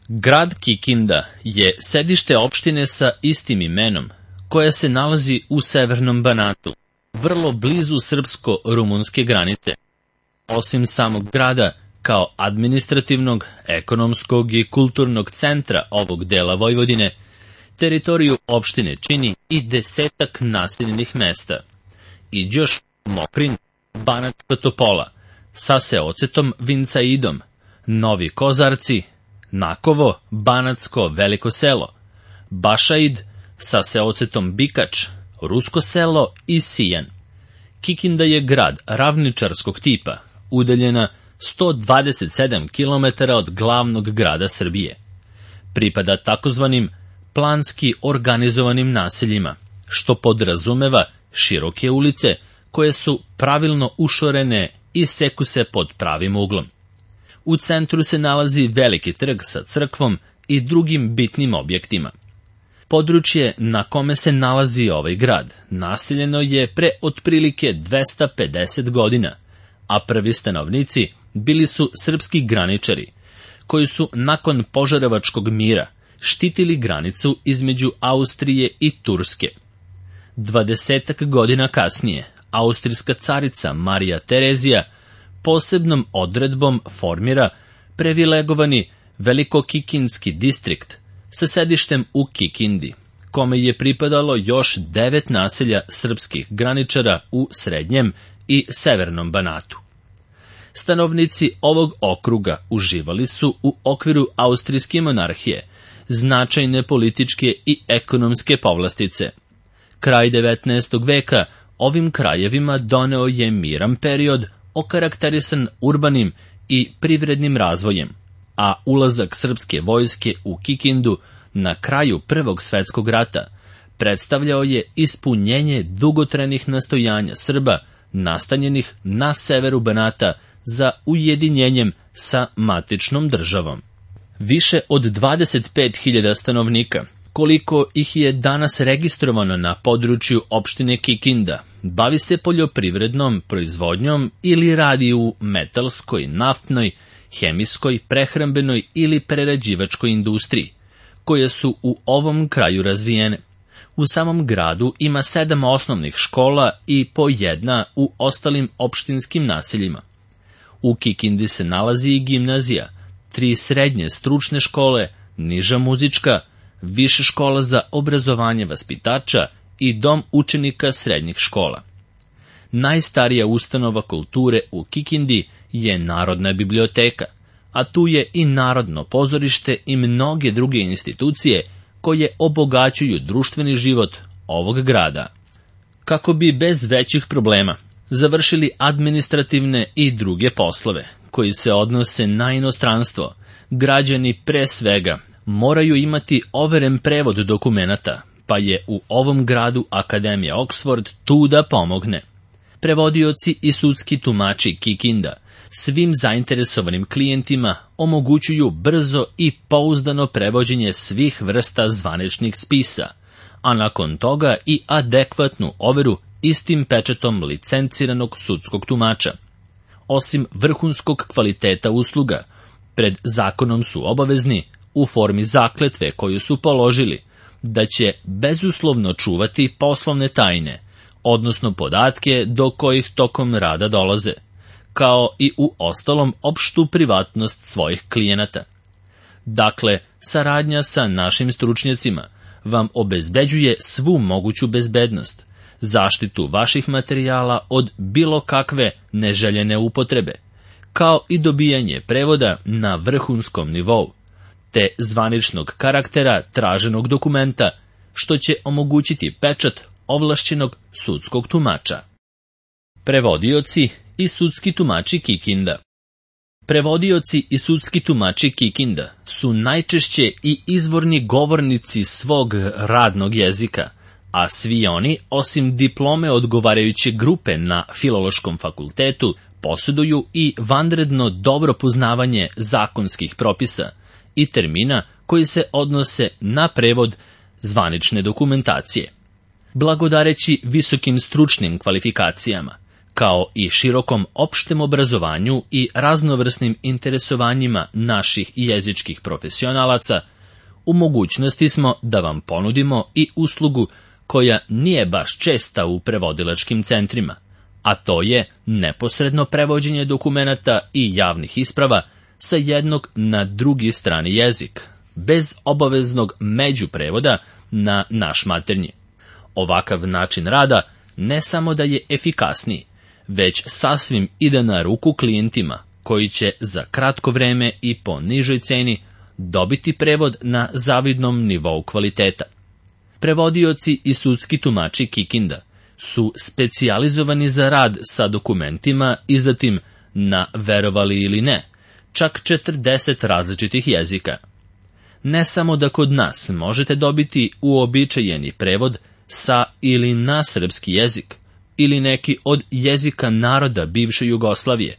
Grad Kikinda je sedište opštine sa istim imenom, koja se nalazi u severnom Banatu, vrlo blizu srpsko-rumunske granice. Osim samog grada, kao administrativnog, ekonomskog i kulturnog centra ovog dela Vojvodine, teritoriju opštine čini i 10 naseljenih mesta. Iđoš, Mokrin, Banatska Topola, sa Seocetom Vincaidom, Novi Kozarci, Nakovo, Banatsko Veliko selo, Bašaid, sa Seocetom Bikač, Rusko selo i Sijan. Kikinda je grad ravničarskog tipa, udaljena 127 km od glavnog grada Srbije. Pripada takozvanim planski organizovanim naseljima, što podrazumeva široke ulice koje su pravilno ušorene i seku se pod pravim uglom. U centru se nalazi veliki trg sa crkvom i drugim bitnim objektima. Područje na kome se nalazi ovaj grad naseljeno je pre otprilike 250 godina, a prvi stanovnici bili su srpski graničari, koji su nakon Požarevačkog mira štitili granicu između Austrije i Turske. 20 godina kasnije, austrijska carica Marija Terezija posebnom odredbom formira privilegovani Velikokikinski distrikt sa sedištem u Kikindi, kome je pripadalo još 9 naselja srpskih graničara u srednjem i severnom Banatu. Stanovnici ovog okruga uživali su u okviru austrijske monarhije značajne političke i ekonomske povlastice. Kraj 19. veka ovim krajevima doneo je miran period okarakterisan urbanim i privrednim razvojem, a ulazak srpske vojske u Kikindu na kraju Prvog svetskog rata predstavljao je ispunjenje dugotrajnih nastojanja Srba nastanjenih na severu Banata za ujedinjenjem sa matičnom državom. Više od 25.000 stanovnika, koliko ih je danas registrovano na području opštine Kikinda, bavi se poljoprivrednom proizvodnjom ili radi u metalskoj, naftnoj, hemijskoj, prehrambenoj ili prerađivačkoj industriji, koje su u ovom kraju razvijene. U samom gradu ima 7 osnovnih škola i po 1 u ostalim opštinskim naseljima. U Kikindi se nalazi i gimnazija, 3 srednje stručne škole, niža muzička, više škola za obrazovanje vaspitača i dom učenika srednjih škola. Najstarija ustanova kulture u Kikindi je Narodna biblioteka, a tu je i Narodno pozorište i mnoge druge institucije koje obogaćuju društveni život ovog grada. Kako bi bez većih problema završili administrativne i druge poslove koji se odnose na inostranstvo, građani pre svega moraju imati overen prevod dokumenata, pa je u ovom gradu Akademija Oxford tu da pomogne. Prevodioci i sudski tumači Kikinda svim zainteresovanim klijentima omogućuju brzo i pouzdano prevođenje svih vrsta zvaničnih spisa, a nakon toga i adekvatnu overu istim pečatom licenciranog sudskog tumača. Osim vrhunskog kvaliteta usluga, pred zakonom su obavezni, u formi zakletve koju su položili, da će bezuslovno čuvati poslovne tajne, odnosno podatke do kojih tokom rada dolaze, kao i u ostalom opštu privatnost svojih klijenata. Dakle, saradnja sa našim stručnjacima vam obezbeđuje svu moguću bezbednost, zaštitu vaših materijala od bilo kakve neželjene upotrebe, kao i dobijanje prevoda na vrhunskom nivou, te zvaničnog karaktera traženog dokumenta, što će omogućiti pečat ovlašćenog sudskog tumača. Prevodioci i sudski tumači Kikinda. Prevodioci i sudski tumači Kikinda su najčešće i izvorni govornici svog radnog jezika, a svi oni, osim diplome odgovarajuće grupe na Filološkom fakultetu, posjeduju i vanredno dobro poznavanje zakonskih propisa i termina koji se odnose na prevod zvanične dokumentacije. Blagodareći visokim stručnim kvalifikacijama, kao i širokom opštem obrazovanju i raznovrsnim interesovanjima naših jezičkih profesionalaca, u mogućnosti smo da vam ponudimo i uslugu koja nije baš česta u prevodilačkim centrima, a to je neposredno prevođenje dokumenata i javnih isprava sa jednog na drugi strani jezik, bez obaveznog međuprevoda na naš maternji. Ovakav način rada ne samo da je efikasniji, već sasvim ide na ruku klijentima koji će za kratko vreme i po nižoj ceni dobiti prevod na zavidnom nivou kvaliteta. Prevodioci i sudski tumači Kikinda su specijalizovani za rad sa dokumentima izdatim na, verovali ili ne, čak 40 različitih jezika. Ne samo da kod nas možete dobiti uobičajeni prevod sa ili na srpski jezik, ili neki od jezika naroda bivše Jugoslavije,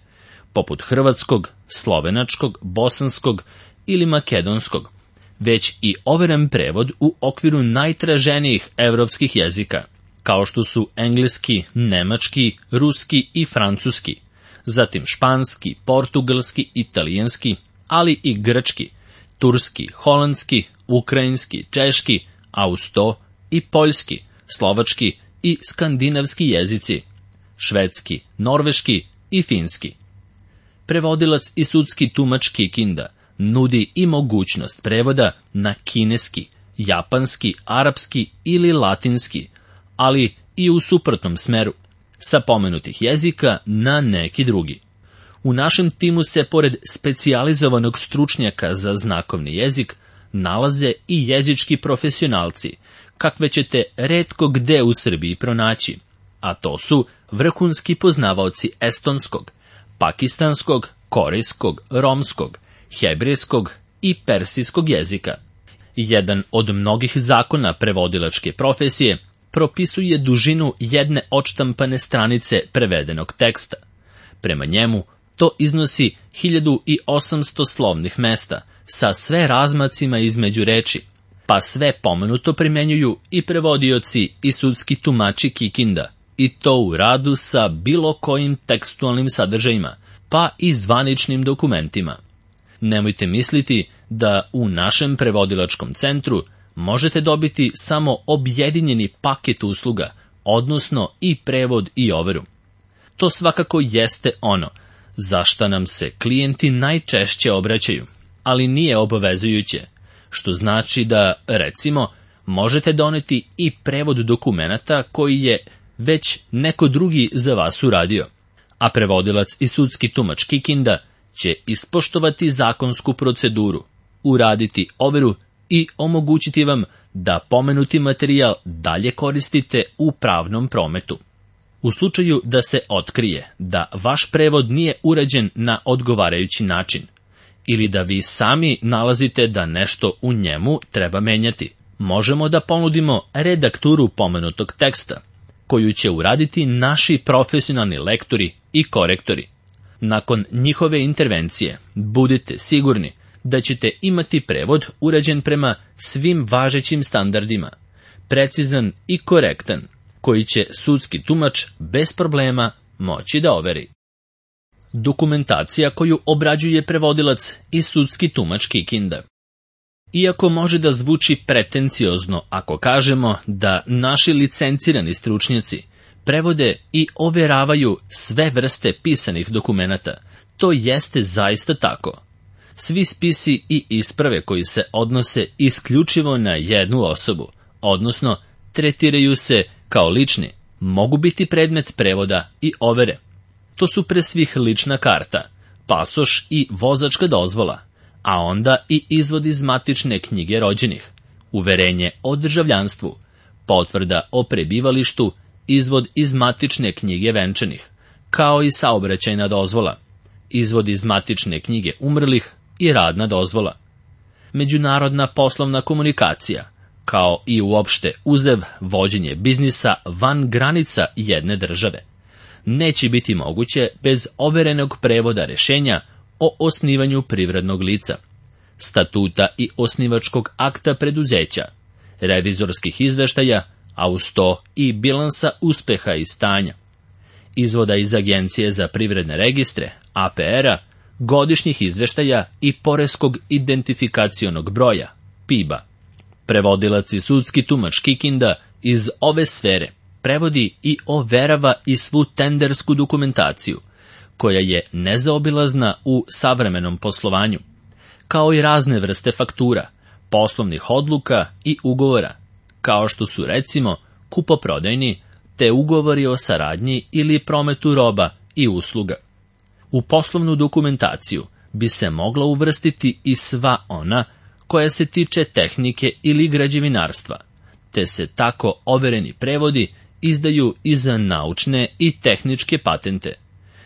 poput hrvatskog, slovenačkog, bosanskog ili makedonskog, već i overen prevod u okviru najtraženijih evropskih jezika, kao što su engleski, nemački, ruski i francuski, zatim španski, portugalski, italijanski, ali i grčki, turski, holandski, ukrajinski, češki, austo i poljski, slovački i skandinavski jezici, švedski, norveški i finski. Prevodilac i sudski tumač Kikinda nudi i mogućnost prevoda na kineski, japanski, arapski ili latinski, ali i u suprotnom smeru, sa pomenutih jezika na neki drugi. U našem timu se, pored specijalizovanog stručnjaka za znakovni jezik, nalaze i jezički profesionalci, kakve ćete retko gde u Srbiji pronaći, a to su vrhunski poznavaoci estonskog, pakistanskog, korejskog, romskog, hebrejskog i persijskog jezika. Jedan od mnogih zakona prevodilačke profesije propisuje dužinu jedne odštampane stranice prevedenog teksta. Prema njemu, to iznosi 1800 slovnih mesta, sa sve razmacima između reči, pa sve pomenuto primenjuju i prevodioci i sudski tumači Kikinda, i to u radu sa bilo kojim tekstualnim sadržajima, pa i zvaničnim dokumentima. Nemojte misliti da u našem prevodilačkom centru možete dobiti samo objedinjeni paket usluga, odnosno i prevod i overu. To svakako jeste ono za šta nam se klijenti najčešće obraćaju, ali nije obavezujuće, što znači da, recimo, možete doneti i prevod dokumenata koji je već neko drugi za vas uradio, a prevodilac i sudski tumač Kikinda će ispoštovati zakonsku proceduru, uraditi overu i omogućiti vam da pomenuti materijal dalje koristite u pravnom prometu. U slučaju da se otkrije da vaš prevod nije urađen na odgovarajući način, ili da vi sami nalazite da nešto u njemu treba menjati, možemo da ponudimo redakturu pomenutog teksta, koju će uraditi naši profesionalni lektori i korektori. Nakon njihove intervencije, budite sigurni da ćete imati prevod urađen prema svim važećim standardima, precizan i korektan, koji će sudski tumač bez problema moći da overi. Dokumentacija koju obrađuje prevodilac i sudski tumač Kikinda. Iako može da zvuči pretenciozno ako kažemo da naši licencirani stručnjaci prevode i overavaju sve vrste pisanih dokumenata, to jeste zaista tako. Svi spisi i isprave koji se odnose isključivo na jednu osobu, odnosno tretiraju se kao lični, mogu biti predmet prevoda i overe. To su pre svih lična karta, pasoš i vozačka dozvola, a onda i izvod iz matične knjige rođenih, uverenje o državljanstvu, potvrda o prebivalištu, izvod iz matične knjige venčanih, kao i saobraćajna dozvola, izvod iz matične knjige umrlih i radna dozvola. Međunarodna poslovna komunikacija, kao i uopšte uzev vođenje biznisa van granica jedne države, neće biti moguće bez overenog prevoda rešenja o osnivanju privrednog lica, statuta i osnivačkog akta preduzeća, revizorskih izveštaja, a uz to i bilansa uspeha i stanja. izvoda iz Agencije za privredne registre, APR-a, godišnjih izveštaja i poreskog identifikacionog broja, PIB-a. Prevodilac i sudski tumač Kikinda iz ove sfere prevodi i overava i svu tendersku dokumentaciju, koja je nezaobilazna u savremenom poslovanju, kao i razne vrste faktura, poslovnih odluka i ugovora, kao što su recimo kupoprodajni, te ugovori o saradnji ili prometu roba i usluga. U poslovnu dokumentaciju bi se mogla uvrstiti i sva ona koja se tiče tehnike ili građevinarstva, te se tako overeni prevodi izdaju i za naučne i tehničke patente,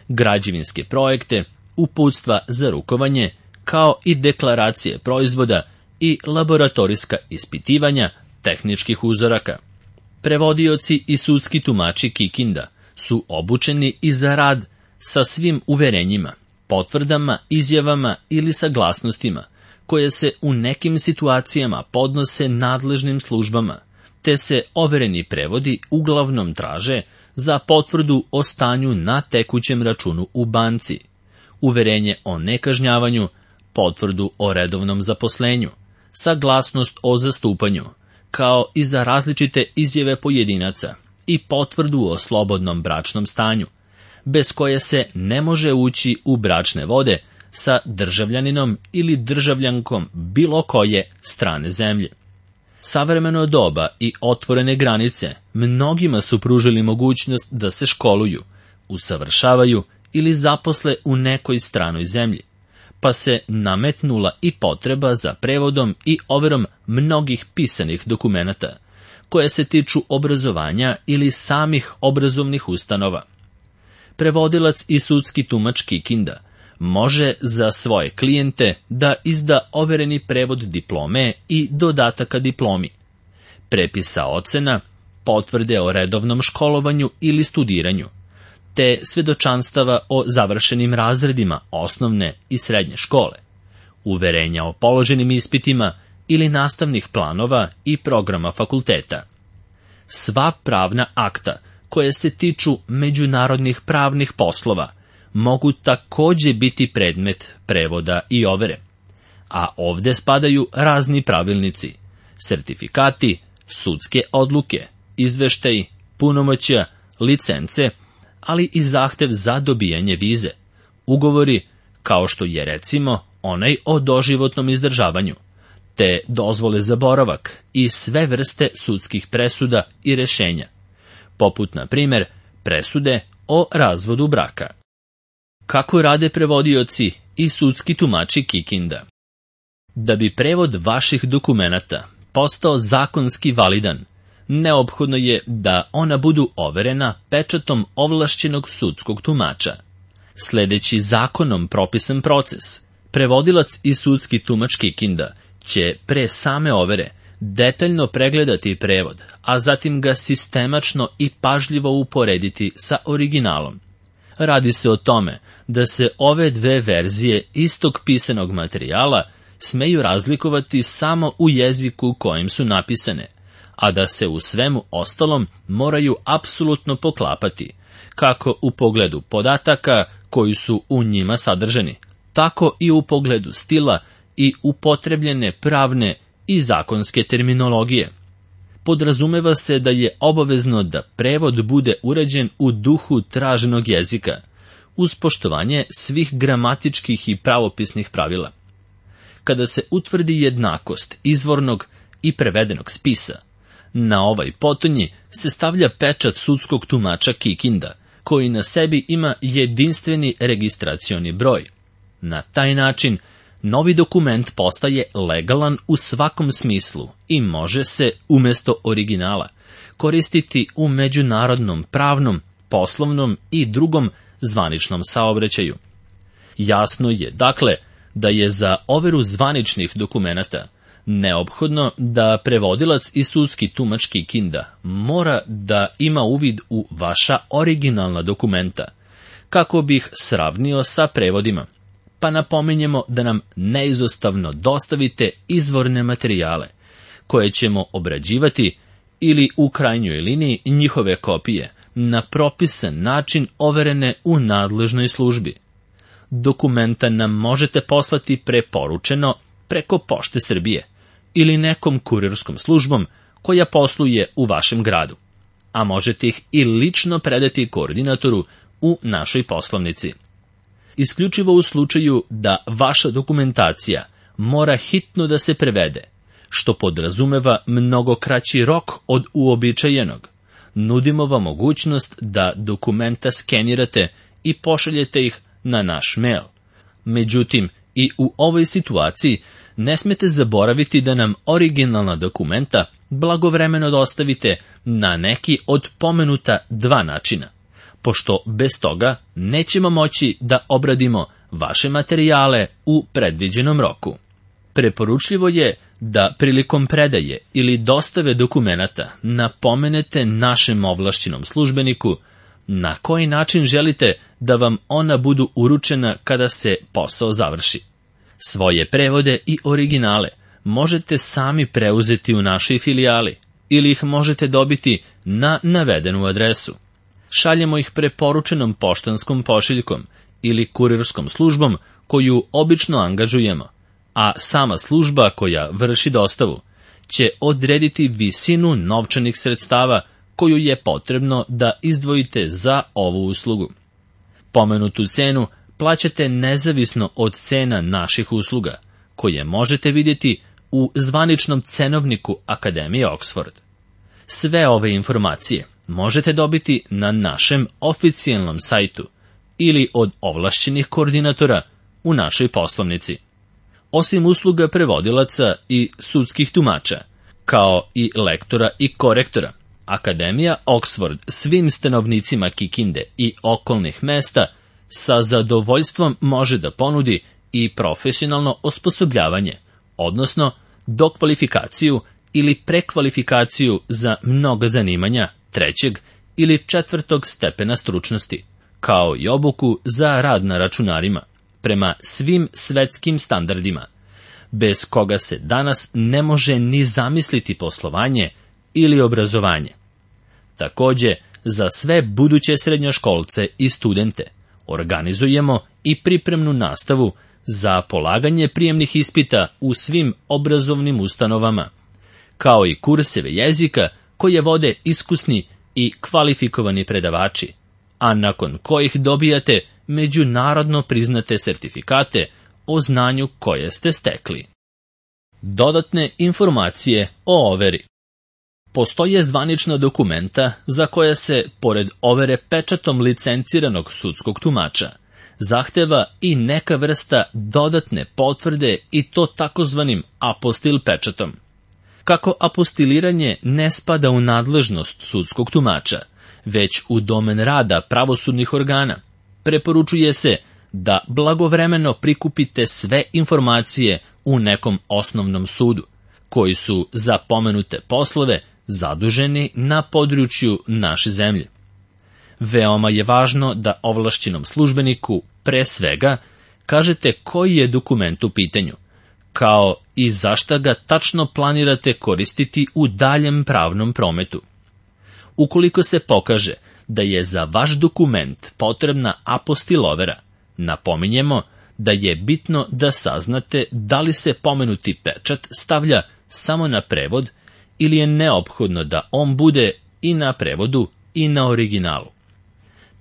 građevinske projekte, uputstva za rukovanje, kao i deklaracije proizvoda i laboratorijska ispitivanja tehničkih uzoraka. Prevodioci i sudski tumači Kikinda su obučeni i za rad sa svim uverenjima, potvrdama, izjavama ili saglasnostima, koje se u nekim situacijama podnose nadležnim službama, te se overeni prevodi uglavnom traže za potvrdu o stanju na tekućem računu u banci, uverenje o nekažnjavanju, potvrdu o redovnom zaposlenju, saglasnost o zastupanju, kao i za različite izjave pojedinaca i potvrdu o slobodnom bračnom stanju, bez koje se ne može ući u bračne vode sa državljaninom ili državljankom bilo koje strane zemlje. Savremeno doba i otvorene granice mnogima su pružili mogućnost da se školuju, usavršavaju ili zaposle u nekoj stranoj zemlji, pa se nametnula i potreba za prevodom i overom mnogih pisanih dokumenata, koje se tiču obrazovanja ili samih obrazovnih ustanova. Prevodilac i sudski tumač Kikinda može za svoje klijente da izda overeni prevod diplome i dodataka diplomi, prepisa ocena, potvrde o redovnom školovanju ili studiranju, te svedočanstava o završenim razredima osnovne i srednje škole, uverenja o položenim ispitima ili nastavnih planova i programa fakulteta. Sva pravna akta koje se tiču međunarodnih pravnih poslova mogu takođe biti predmet prevoda i overe, a ovde spadaju razni pravilnici, sertifikati, sudske odluke, izveštaji, punomoćja, licence, ali i zahtev za dobijanje vize, ugovori kao što je recimo onaj o doživotnom izdržavanju, te dozvole za boravak i sve vrste sudskih presuda i rešenja, poput na primer presude o razvodu braka. Kako rade prevodioci i sudski tumači Kikinda? Da bi prevod vaših dokumenata postao zakonski validan, neophodno je da ona budu overena pečatom ovlašćenog sudskog tumača. Sledeći zakonom propisan proces, prevodilac i sudski tumač Kikinda će pre same overe detaljno pregledati prevod, a zatim ga sistemačno i pažljivo uporediti sa originalom. Radi se o tome da se ove dve verzije istog pisanog materijala smeju razlikovati samo u jeziku kojim su napisane, a da se u svemu ostalom moraju apsolutno poklapati, kako u pogledu podataka koji su u njima sadržani, tako i u pogledu stila i upotrebljene pravne i zakonske terminologije. Podrazumeva se da je obavezno da prevod bude urađen u duhu traženog jezika, uz poštovanje svih gramatičkih i pravopisnih pravila. Kada se utvrdi jednakost izvornog i prevedenog spisa, na ovaj potonji se stavlja pečat sudskog tumača Kikinda, koji na sebi ima jedinstveni registracioni broj. Na taj način, novi dokument postaje legalan u svakom smislu i može se, umesto originala, koristiti u međunarodnom pravnom, poslovnom i drugom zvaničnom saobraćaju. Jasno je, dakle, da je za overu zvaničnih dokumenata neophodno da prevodilac i sudski tumač Kikinda mora da ima uvid u vaša originalna dokumenta, kako bi ih sravnio sa prevodima, pa napominjemo da nam neizostavno dostavite izvorne materijale, koje ćemo obrađivati ili u krajnjoj liniji njihove kopije na propisan način overene u nadležnoj službi. Dokumenta nam možete poslati preporučeno preko Pošte Srbije ili nekom kurirskom službom koja posluje u vašem gradu, a možete ih i lično predati koordinatoru u našoj poslovnici. Isključivo u slučaju da vaša dokumentacija mora hitno da se prevede, što podrazumeva mnogo kraći rok od uobičajenog, nudimo vam mogućnost da dokumenta skenirate i pošaljete ih na naš mail. Međutim, i u ovoj situaciji ne smete zaboraviti da nam originalna dokumenta blagovremeno dostavite na neki od pomenuta dva načina, pošto bez toga nećemo moći da obradimo vaše materijale u predviđenom roku. Preporučljivo je da prilikom predaje ili dostave dokumenata napomenete našem ovlašćenom službeniku na koji način želite da vam ona budu uručena kada se posao završi. Svoje prevode i originale možete sami preuzeti u našoj filijali ili ih možete dobiti na navedenu adresu. Šaljemo ih preporučenom poštanskom pošiljkom ili kurirskom službom koju obično angažujemo, a sama služba koja vrši dostavu će odrediti visinu novčanih sredstava koju je potrebno da izdvojite za ovu uslugu. Pomenutu cenu plaćate nezavisno od cena naših usluga, koje možete vidjeti u zvaničnom cenovniku Akademije Oxford. Sve ove informacije možete dobiti na našem oficijalnom sajtu ili od ovlašćenih koordinatora u našoj poslovnici. Osim usluga prevodilaca i sudskih tumača, kao i lektora i korektora, Akademija Oxford svim stanovnicima Kikinde i okolnih mesta sa zadovoljstvom može da ponudi i profesionalno osposobljavanje, odnosno dokvalifikaciju ili prekvalifikaciju za mnoga zanimanja 3. ili 4. stepena stručnosti, kao i obuku za rad na računarima, prema svim svetskim standardima, bez koga se danas ne može ni zamisliti poslovanje ili obrazovanje. Takođe, za sve buduće srednjoškolce i studente organizujemo i pripremnu nastavu za polaganje prijemnih ispita u svim obrazovnim ustanovama, kao i kurseve jezika koje vode iskusni i kvalifikovani predavači, a nakon kojih dobijate međunarodno priznate sertifikate o znanju koje ste stekli. Dodatne informacije o overi. Postoje zvanična dokumenta za koja se, pored overe pečatom licenciranog sudskog tumača, zahteva i neka vrsta dodatne potvrde i to takozvanim apostil pečatom. Kako apostiliranje ne spada u nadležnost sudskog tumača, već u domen rada pravosudnih organa, preporučuje se da blagovremeno prikupite sve informacije u nekom osnovnom sudu, koji su za pomenute poslove zaduženi na području naše zemlje. Veoma je važno da ovlašćenom službeniku pre svega kažete koji je dokument u pitanju, kao i zašta ga tačno planirate koristiti u daljem pravnom prometu. Ukoliko se pokaže da je za vaš dokument potrebna apostilovera, napominjemo da je bitno da saznate da li se pomenuti pečat stavlja samo na prevod ili je neophodno da on bude i na prevodu i na originalu.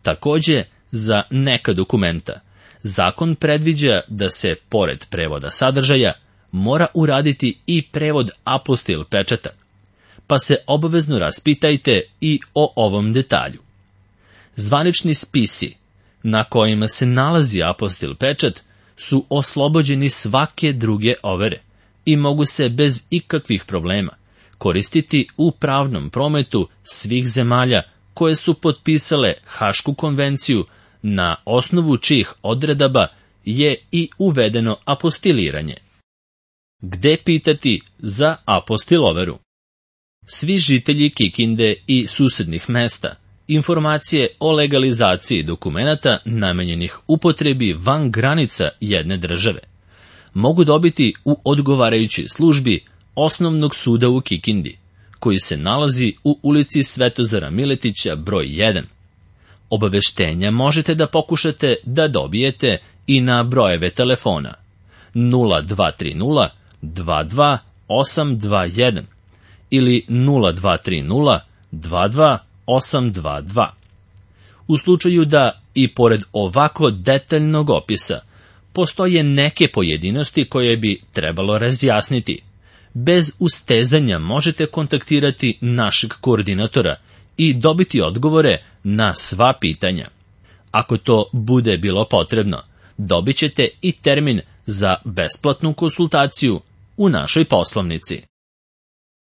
Takođe, za neka dokumenta, zakon predviđa da se, pored prevoda sadržaja, mora uraditi i prevod apostil pečata, pa se obavezno raspitajte i o ovom detalju. Zvanični spisi na kojima se nalazi apostil pečat su oslobođeni svake druge overe i mogu se bez ikakvih problema koristiti u pravnom prometu svih zemalja koje su potpisale Hašku konvenciju, na osnovu čijih odredaba je i uvedeno apostiliranje. Gde pitati za apostiloveru? Svi žitelji Kikinde i susednih mesta informacije o legalizaciji dokumenata namenjenih upotrebi van granica jedne države mogu dobiti u odgovarajućoj službi Osnovnog suda u Kikindi, koji se nalazi u ulici Svetozara Miletića broj 1. Obaveštenja možete da pokušate da dobijete i na brojeve telefona 0230 22 821 ili 0230 22 822. U slučaju da i pored ovako detaljnog opisa postoje neke pojedinosti koje bi trebalo razjasniti, bez ustezanja možete kontaktirati našeg koordinatora i dobiti odgovore na sva pitanja. Ako to bude bilo potrebno, dobit ćete i termin za besplatnu konsultaciju u našoj poslovnici.